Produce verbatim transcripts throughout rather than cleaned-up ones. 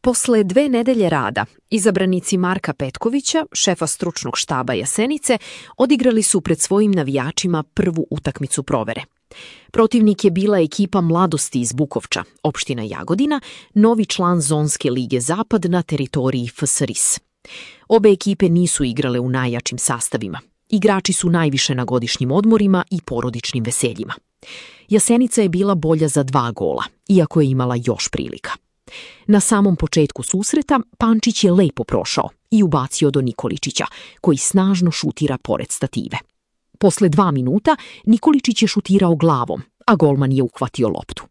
Posle dve nedelje rada, izabranici Marka Petkovića, šefa stručnog štaba Jasenice, odigrali su pred svojim navijačima prvu utakmicu provere. Protivnik je bila ekipa Mladosti iz Bukovča, opština Jagodina, novi član Zonske lige Zapad na teritoriji F S R I S. Obe ekipe nisu igrale u najjačim sastavima. Igrači su najviše na godišnjim odmorima i porodičnim veseljima. Jasenica je bila bolja za dva gola, iako je imala još prilika. Na samom početku susreta Pančić je lepo prošao i ubacio do Nikoličića, koji snažno šutira pored stative. Posle dva minuta Nikoličić je šutirao glavom, a golman je uhvatio loptu.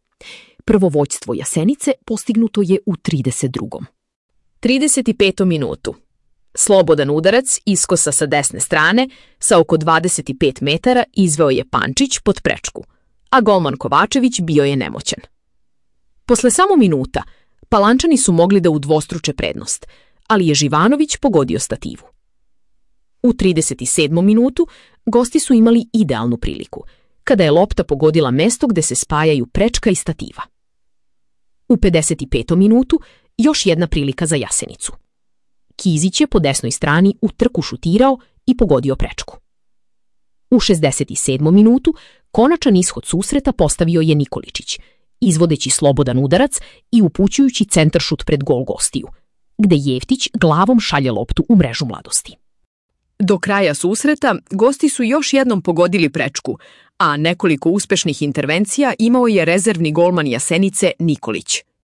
Prvo vođstvo Jasenice postignuto je u trideset drugom trideset petu minutu. Slobodan udarac iskosa sa desne strane sa oko dvadeset pet metara izveo je Pančić pod prečku, a golman Kovačević bio je nemoćan. Posle samo minuta Palančani su mogli da udvostruče prednost, ali je Živanović pogodio stativu. U trideset sedmom minutu gosti su imali idealnu priliku, kada je lopta pogodila mesto gde se spajaju prečka i stativa. U pedeset petom minutu još jedna prilika za Jasenicu. Kizić je po desnoj strani u trku šutirao i pogodio prečku. U šezdeset sedmom minutu konačan ishod susreta postavio je Nikoličić, izvodeći slobodan udarac i upućujući centaršut pred gol gostiju, gde Jeftić glavom šalje loptu u mrežu Mladosti. Do kraja susreta gosti su još jednom pogodili prečku, a nekoliko uspešnih intervencija imao je rezervni golman Jasenice Nikolić.